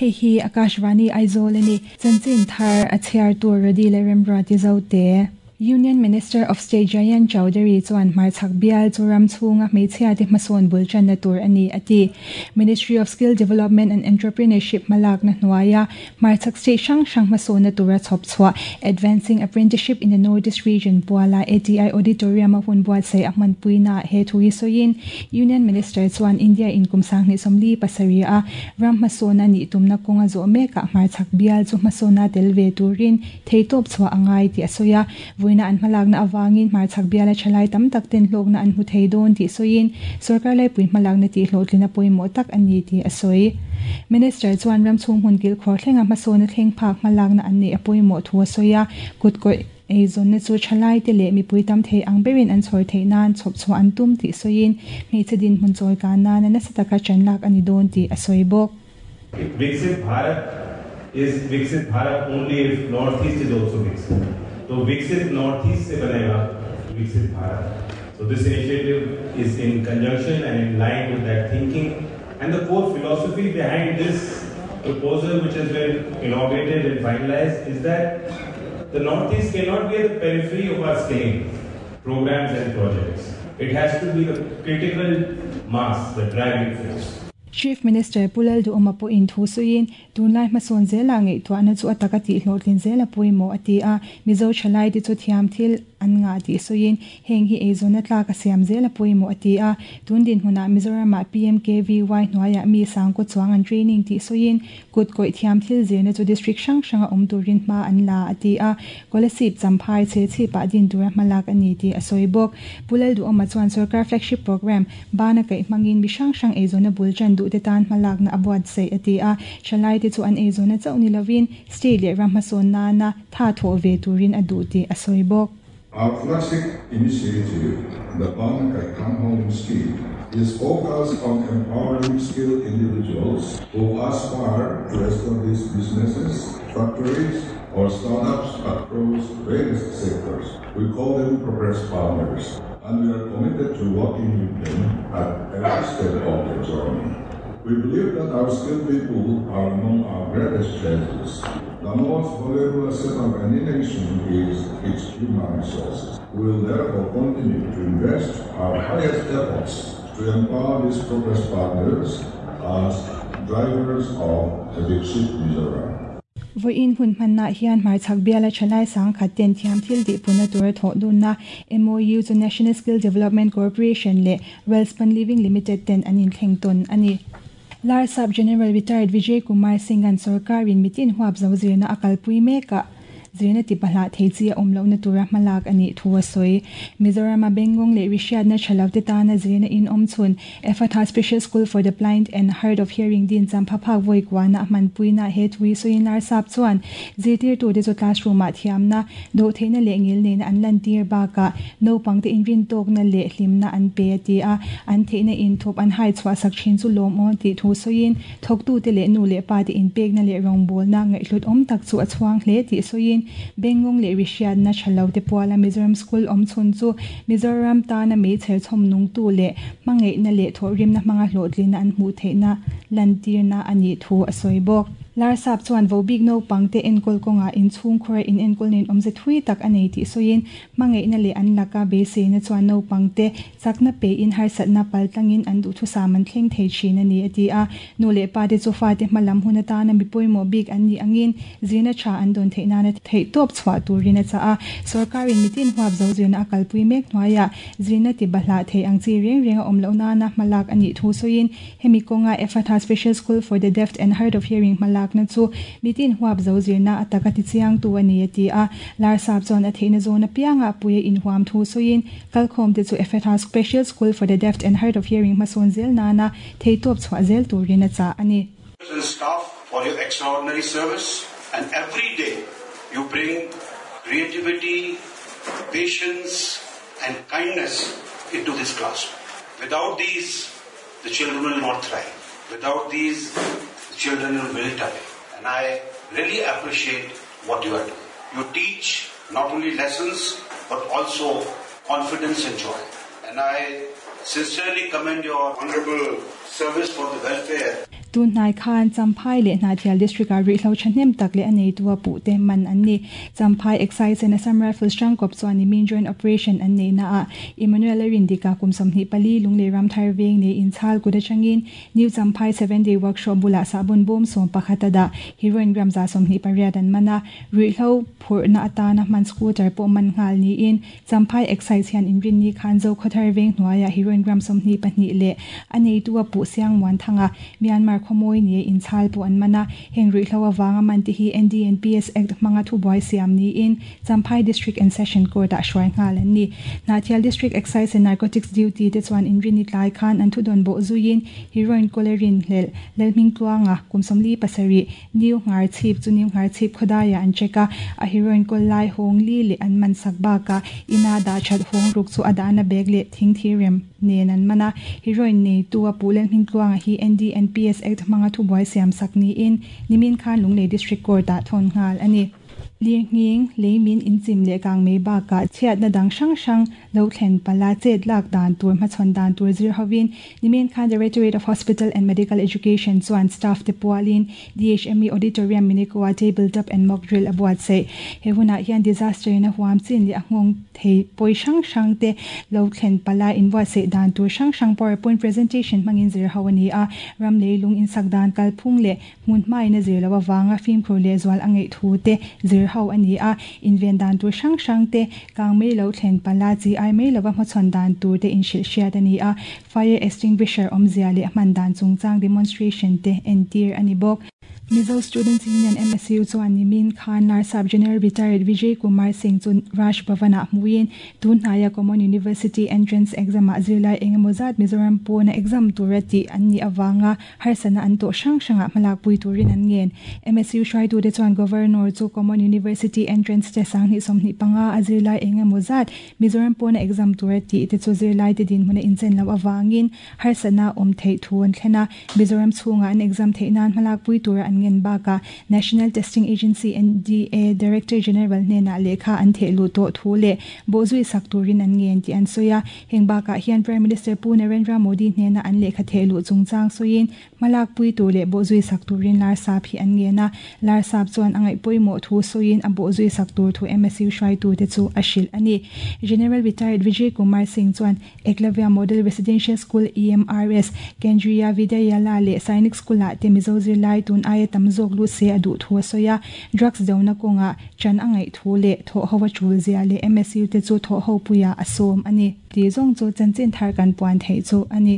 Hei hi Akashvani Aizawl a ni. Chanchin thar a chhiartu Rody leh Remruati Zote. Union Minister of State Jayant Chaudhary chuan hmarchhak bial chu ram chhunga hmeichhiate hmasawn bul tanna tur a ni a ti. Ministry of Skill Development and Entrepreneurship hmalakna hnuaia hmarchhak state hrang hrang hmasawnna tura chhawp chhuah Advancing Apprenticeship in the Northeast Region puala ATI Auditorium a hun buatsaih a hmanpuinaah he thu hi sawiin Union Minister chuan India in kum 2027 a ram hmasawn a nih tumna kawnga zawh mekah hmarchhak bial chu hmasawnna tel ve turin theitawp chhuah a ngai tih a sawi a. Vawiina an hmalakna avangin hmarchhak biala thalai tam tak ten hlawkna an hmu thei dawn tih sawiin sorkar laipui hmalakna tih hlawhtlina pawimawh tak a ni tih a sawi. Minister chuan ram chhung hmun kilkhawr thlenga hmasawna thleng phak hmalakna an neih a pawimawh thu a sawi a, kutkawih eizawnna chu thalaite leh mipui tam thei ang berin an chhawr theih nan chhawp chhuah an tum tih sawiin hmeichhe dinhmun chawi kan nana nasa taka ṭan lak a ni dawn tih a sawi bawk. Viksit Bharat is Viksit Bharat only if North East is also Viksit. To Viksit North East se banega Viksit Bharat. So this initiative is in conjunction and in line with that thinking and the core philosophy behind this proposal which has been inaugurated and finalized is that the Northeast cannot be at the periphery of our skilling programs and projects. It has to be the critical mass, the driving force. Chief Minister Pu Lalduhawma pawhin thu sawiin, tunlai hmasawn zela ngaihtuahna chu a taka tih hlawhtlin zel a pawimawh a ti a, Mizo thalaite chu thiam thil an ngah tih sawiin, heng hi eizawnna tlak a siam zel a pawimawh a ti a, tun dinhmunah Mizoramah PMKVY hnuaiah mi sangkaw chuang an training tih sawiin, Kut kawih thiam thil zirna chu district hrang hranga awm turin hma an la a ti a, Kolasib Champhai chhe chhipah din tura hmalak a ni tih a sawi bawk. Pu Lalduhawma chuan sorkar flagship programme bana kaih hmangin mi hrang hrang eizawnna bul tan duhte tan hmalakna a buatsaih a ti a, thalaite chu an eizawnna chauh ni lovin state leh ram hmasawn nana tha thawh ve turin a duh tih a sawi bawk. Our flagship initiative, the Bana Kaih Town Hall Scheme, is focused on empowering skilled individuals who aspire to establish businesses, factories, or startups across various sectors. We call them progress partners, and we are committed to working with them at every step of the journey. We believe that our skilled people are among our greatest treasures. The most valuable asset of any nation is its human resources. We will therefore continue to invest our highest efforts to empower these progress partners as drivers of Viksit Mizoram. Vawiin hun hmannaah hian hmarchhak biala thalai sangkhat ten thiam thil tihpuna tura thawh dunna MOU chu National Skill Development Corporation leh Welspun Living Limited ten an inthleng tawn a ni. Larsap General Retired Vijay Kumar Singh-a'n sorkarin mitin huap zo zirna a kalpui mekah zirna ti pahlah thei chi a awm lohna tura hmalak a nih thu a sawi. Mizorama Bengngawng leh Rihriatna tha lo te tana zirna in awm chhun Ephatha Special School for the Blind and Hard of Hearing din champha phak vawi kuana a hmanpuina he thu hi sawiin Larsap chuan zirtirtute chu classroom-ah thiamna, dawhtheihna leh ngil nena an lantir bakah naupangte inrintawkna leh hlimna an pe a ti a, an theihna inthup an hai chhuahsak thin chu lawm aw tih thu sawiin thawktute leh nu leh pate inpekna leh rawngbawlna ngaihhlut awm tak chu a chhuang hle tih sawiin Bengngawng leh Rihriatna tha lo te puala Mizoram School awm chhun chu Mizoram tana meichher chhawm nungtu leh hmangaihna leh thawhrimna hmanga hlawhtlinna an hmuh theihna lantirna a nih thu a sawi bawk. Larsap chuan vobik naupangte enkawl kawngah inchhungkhawra inenkawl nen awmze thui tak a nei tih sawiin hmangaihna leh an laka beiseina chuan naupangte chakna pein harsatna paltlangin an duhthusam an thleng thei thin a ni a ti a. Nu leh pate chu fate hma lam hun atana mi pawimawh bik an nih angin zirna tha an dawn theih nana theihtawp chhuah turin a chah a. Sorkarin mitin huap zo zirna a kalpui mek hnuaiah zirna ti bahlah thei ang chi reng reng a awm loh nana hmalak a nih thu sawiin hemi kawnga Ephatha Special School for the Deaf and Hard of Hearing hmalakna chu mitin huap zo zirna a taka tichiangtu a ni a ti a. Larsap chuan a theihna zawn apiangah puia inhuam thu sawiin kalkhawmte chu Ephatha Special School for the Deaf and Hard of Hearing hmasawn zel nana theitawp chhuah zel turin a chah a ni. And staff for your extraordinary service and every day you bring creativity, patience and kindness into this classroom. Without these, the children will not thrive. Without these, the children will wilt away. And I really appreciate what you are doing. You teach not only lessons, but also confidence and joy. And I sincerely commend your honorable service for the welfare. Tun hnai khan Champhai leh Hnahthial District-ah ruihhlo thahnem tak leh a neitu a puhte man an ni. Champhai Excise and Assam Rifles hrangkawp chuan nimin joint operation an neihnaah Emmanuel-a Rindika kum 24 Lunglei Ramthar veng nei inchhal kut atangin New Champhai Seven Day Workshop bulah sahbawn bawm 11 a dah. Heroin gram 128 an man a, ruihhlo phurhna atana hman scooter pawh man nghal niin Champhai Excise hian inrinni khan Zokhawthar veng hnuaiah heroin gram 22 leh a neitu a puh Siang Muanthanga, Myanmar khawmawi nia inchhal pawh an man a. Heng ruihhlo avanga man te hi NDNPS Act hmanga thubuai siam niin Champhai District and Session Court-ah hruai nghal an ni. Hnahthial District Excise and Narcotics Duty te chuan inrinni tlai khan an thudawn bawh zuiin heroin kawlerin hlelh Lalhmingtluanga kum 47 New Ngharchhip chu New Ngharchhip khawdaiah an check a, a heroin kawl lai hawng li leh an man sak bakah ina dah that hawng ruk chu a dahna bag leh thing thi rem nen an man a. Heroin neitu a puh Lalhmingtluanga hi NDNPS Act hmanga thubuai siam sak niin nimin khan Lunglei District Court-ah thawn nghal a ni. Lirnghing, leimin inchim leh kang mai bakah chhiatna dang hrang hrang lo thlen pala chet lak dan tur hmachhawn dan tur zir hovin nimin khan Directorate of Hospital and Medical Education chuan staff te pualin DHME Auditorium Minikoa Table Top and Mock Drill a buatsaih. He hunah hian disaster in a huam chin leh a nghawng thei pawi hrang hrang te lo thlen pala inbuatsaih dan tur hrang hrang PowerPoint presentation hmangin zir ho a ni a, ram leilung insak dan kalphung leh Hmun hmain a zir loh avanga fimkhur lehzual a ngeih thu te zir ho a ni a, inven dan tur hrang hrang te, kang mai lo thlen pala chi ai mai lova hmachhawn dan tur te inhrilh hriat a ni a, fire extinguisher awmzia leh hman dan chungchang demonstration te entir a ni bawk. Mizo Students Union, MSU, chuan nimin khan Larsap General Retired Vijay Kumar Singh chu Raj Bhavan-ah hmuin Tun hnaia Common University Entrance Exam-ah zirlai engemaw zat Mizoram pawna exam tura tih an nih avanga harsatna an tawh hrang hrangah hmalakpui turin an ngen. MSU hruaitute chuan Governor chu Common University Entrance Test 2025 a zirlai engemaw zat Mizoram pawna exam tura tih te chu zirlaite dinhmuna inchen loh avangin harsatna awm theih thu an thlen a. Mizoram chhungah an exam theih nan hmalakpui tura an ngen bakah National Testing Agency, NDA, Director General hnenah lehkha an theh luh tawh thu leh bawhzui sak turin an ngen tih an sawi a. Heng bakah hian Prime Minister Pu Narendra Modi hnena an lehkha theh luh chungchang sawiin hmalakpui tur leh bawhzui sak turin Larsap hi an ngen a. Larsap chuan a ngaih pawimawh thu sawiin a bawhzui sak tur thu MSU hruaitute chu a hrilh a ni. General Retired Vijay Kumar Singh chuan Eklavya Model Residential School, EMRS, Kendriya Vidyalaya leh Sainik School-ah te Mizo zirlai tun aia tam zawk lut se a duh thu a sawi a. Drugs dona kawngah ṭan a ngaih thu leh thawhho a ṭul zia leh MSU te chu thawhho puiah a sawm a ni. Tih zawng chu chanchin thar kan puan theih chu a ni.